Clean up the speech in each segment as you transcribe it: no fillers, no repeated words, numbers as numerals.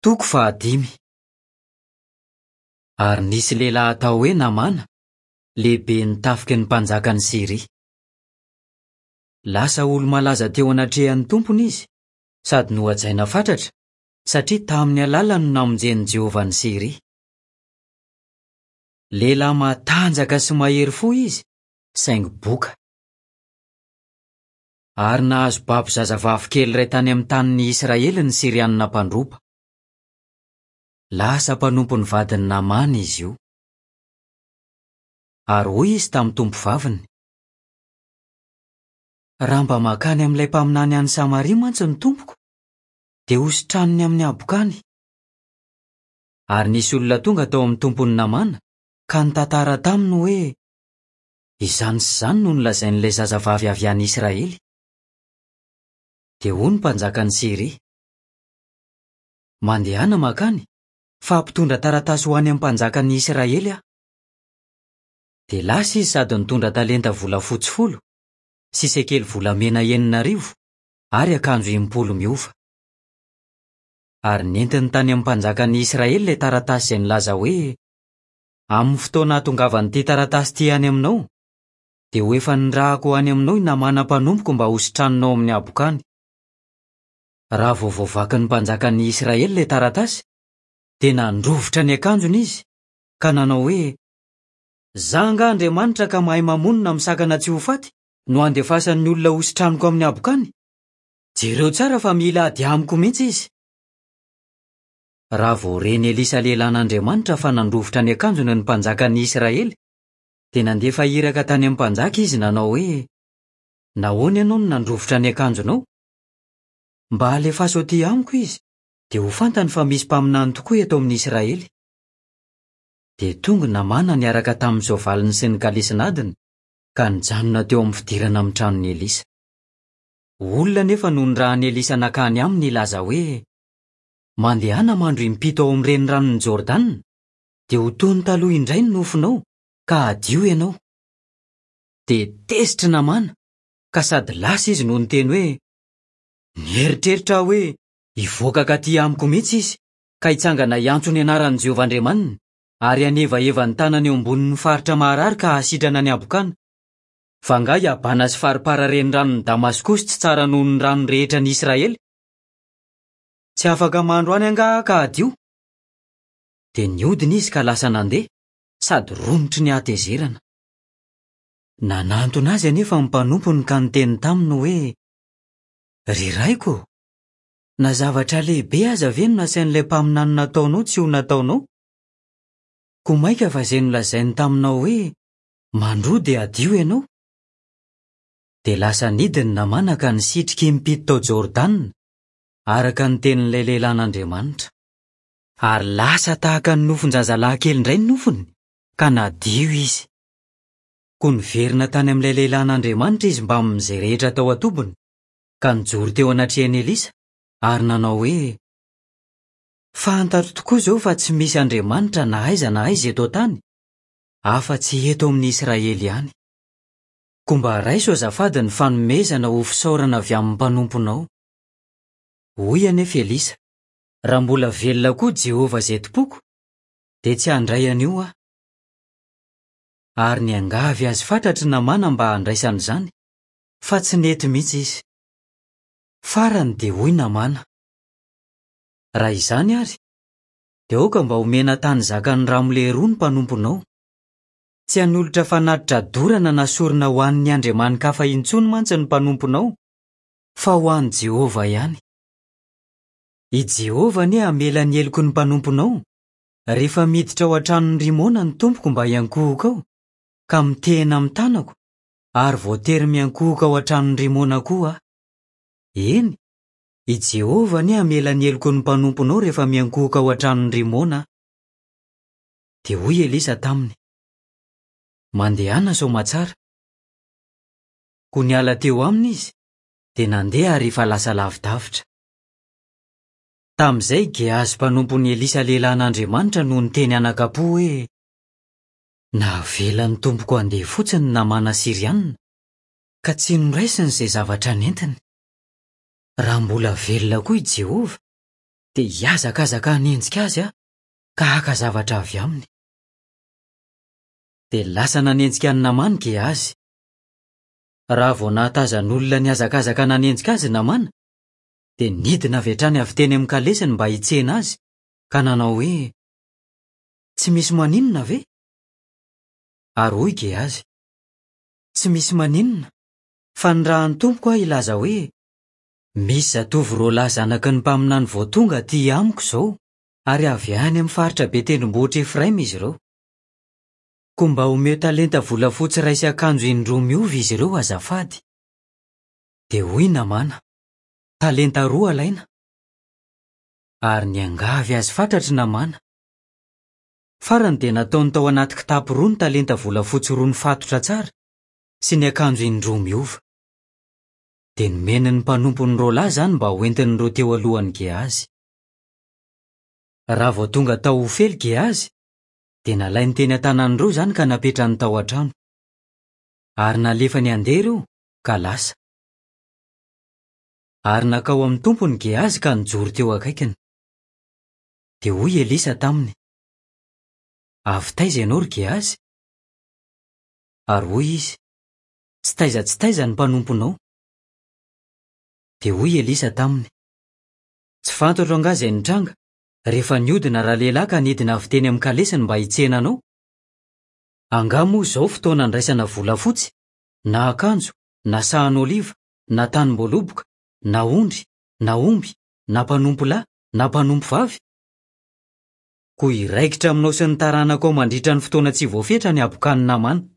Toko fahadimy. Ary nisy lehilahy atao hoe Namàna, lehiben'ny tafiky ny mpanjakan'i Syria. Lasa olo-malaza teo anatrehan'ny tompony izy, sady nohajaina fatratra, satria tamin'ny alalany no namonjen'i Jehovah an'i Syria. Lehilahy matanjaka sy mahery fo izy, saingy boka. Ary nahazo babo zazavavy kely iray tany amin'ny tanin'i Israely ny Syrianina mpandroba. Lasa mpanompon'ny vadin'i Namàna izy io. Ary hoy izy tamin'ny tompovaviny, Raha mba mankany amin'ilay mpaminany any Samaria mantsy ny tompoko, dia hositraniny amin'ny habokany. Ary nisy olona tonga tao amin'ny tompon'i Namàna ka nitantara taminy hoe, Izany sy izany no nolazain'ilay zazavavy avy any Israely. Dia hoy ny mpanjakan'i Syria, Mandehana mankany, fa hampitondra taratasy ho any amin'ny mpanjakan'i Israely aho. Dia lasa izy sady nitondra talenta volafotsy folo, sy sekely volamena 6000, ary akanjo 60 miova. Ary nentiny tany amin'ny mpanjakan'i Israely ilay taratasy izay nilaza hoe, Amin'ny fotoana hahatongavan'ity taratasy ity any aminao, dia ho efa nirahako ho any aminao i Namàna mpanompoko mba hositraninao amin'ny habokany. Raha vao voavakin'ny mpanjakan'ny Israely ilay taratasy, dia nandrovitra ny akanjony izy, ka nanao hoe, Izaho angaha Andriamanitra ka mahay mamono na misakana tsy ho faty, no handefasan'ny olona hositraniko amin'ny habokany? Jereo tsara fa mila ady amiko mihitsy izy. Raha vao ren'i Elisa lehilahin'Andriamanitra fa nandrovitra ny akanjony ny mpanjakan'ny Israely, dia nandefa iraka tany amin'ny mpanjaka izy nanao hoe, Nahoana ianao no nandrovitra ny akanjonao? Mba alefaso atỳ amiko izy, dia ho fantany fa misy mpaminany tokoa eto amin'ny Israely. Dia tonga Namàna niaraka tamin'ny soavaliny sy ny kalesin'adiny, ka nijanona teo amin'ny fidirana amin'ny tranon'i Elisa. Olona anefa no nirahan'i Elisa nankany aminy hilaza hoe, Mandehana mandro impito ao amin'ny reniranon'i Jordana, dia ho toy ny taloha indray ny nofonao, ka hadio ianao. Dia tezitra i Namàna, ka sady lasa izy no niteny hoe, Nieritreritra aho hoe hivoaka hankatỳ amiko mihitsy izy, ka hitsangana hiantso ny anaran'i Jehovah Andriamaniny, ary hanevaheva ny tanany eo ambonin'ny faritra maharary ka hahasitrana ny habokana. Fa angaha i Abana sy Farpara reniranon'i Damaskosy tsy tsara noho ny rano rehetra any Israely? Tsy afaka mandro any angaha aho ka hadio? Dia nihodina izy ka lasa nandeha, sady romotry ny hatezerana. Nanantona azy anefa ny mpanompony ka niteny taminy hoe, Ry raiko ô, na zavatra lehibe aza ve no nasain'ilay mpaminany nataonao tsy ho nataonao? Koa mainka fa izay nolazainy taminao hoe, 'Mandroa dia hadio ianao'? Dia lasa nidina Namàna ka nisitrika impito tao Jordana, araka ny tenin'ilay lehilahin'Andriamanitra. Ary lasa tahaka ny nofon-jazalahy kely indray ny nofony, ka nadio izy. Koa niverina tany amin'ilay lehilahin'Andriamanitra izy mbamin'izay rehetra tao an-tobiny, ka nijoro teo anatrehan'i Elisa, ary nanao hoe, Fantatro tokoa izao fa tsy misy Andriamanitra na aiza na aiza eto an-tany, afa-tsy eto amin'i Israely ihany. Koa mba raiso azafady ny fanomezana ho fisaorana avy amin'ny mpanomponao. Hoy anefa Elisa, Raha mbola velona koa Jehovah izay tompoko, dia tsy handray an'io aho. Ary niangavy azy fatratra i Namàna mba handraisany izany, fa tsy nety mihitsy izy. Farany dia hoy Namàna, Raha izany àry, dia aoka mba homena tany zakan'ny ramole roa ny mpanomponao. Tsy hanolotra fanatitra dorana na sorona ho an'ny andriamani-kafa intsony mantsy ny mpanomponao, fa ho an'i Jehovah ihany. I Jehovah anie hamela ny heloky ny mpanomponao, rehefa miditra ao an-tranon'i Rimona ny tompoko mba hiankohoka ao, ka mitehina amin'ny tanako, ary voatery miankohoka ao an-tranon'i Rimona koa aho. Eny, i Jehovah anie hamela ny heloky ny mpanomponao rehefa miankohoka ao an-tranon'i Rimona aho. Dia hoy Elisa taminy, Mandehana soamatsara. Koa niala teo aminy izy, dia nandeha ary efa lasa lavidavitra. Tamin'izay i Gehazy mpanompon'i Elisa lehilahin'Andriamanitra no niteny anakam-po hoe, Navelan'ny tompoko handeha fotsiny ny Namàna Syriana, ka tsy noraisiny izay zavatra nentiny. Raha mbola velona koa i Jehovah, dia hihazakazaka hanenjika azy aho ka haka zavatra avy aminy. Dia lasa nanenjika an'i Namàna Gehazy. Raha vao nahatazan'olona nihazakazaka nanenjika azy Namàna, dia nidina avy hatrany avy teny amin'ny kalesiny mba hitsena azy, ka nanao hoe, Tsy misy maninona ve? Ary hoy Gehazy, Tsy misy maninona, fa nirahan'ny tompoko aho hilaza hoe, Misy zatovo roalahy zanaky ny mpaminany vao tonga aty amiko izao, ary avy any amin'ny faritra be tendrombohitr'i Efraima izy ireo. Koa mba omeo talenta volafotsy iray sy akanjo indroa miova izy ireo azafady. Dia hoy Namàna, Talenta roa alaina. Ary niangavy azy fatratra i Namàna. Farany dia nataony tao anaty kitapo roa ny talenta volafotsy roa nifatotra tsara sy ny akanjo indroa miova. Dia nomeny ny mpanompony roalahy izany mba hoentin'ireo teo alohan'i Gehazy. Raha vao tonga tao Ofely Gehazy, dia nalainy teny an-tanan'ireo izany ka napetrany tao an-trano. Ary nalefany handeha ireo, ka lasa. Ary nankao amin'ny tompony Gehazy ka nijoro teo akaikiny. Dia hoy Elisa taminy, Avy taiza ianao, ry Gehazy? Ary hoy izy, Tsy taiza tsy taiza ny mpanomponao. Dia hoy Elisa taminy, Tsy fantatro angaha izay nitranga, rehefa nihodina ralehilahy ka nidina avy teny amin'ny kalesiny mba hitsena anao? Angaha moa izao fotoana andraisana volafotsy, na akanjo, na sahan'oliva, na tanim-boaloboka, na ondry, na omby, na mpanompo lahy, na mpanompo vavy? Koa hiraikitra aminao sy ny taranakao mandritra ny fotoana tsy voafetra ny habokan'i Namàna.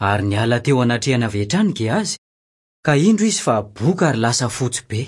Ary niala teo anatrehany avy hatrany Gehazy, ka indro izy fa boka ary lasa fotsy be.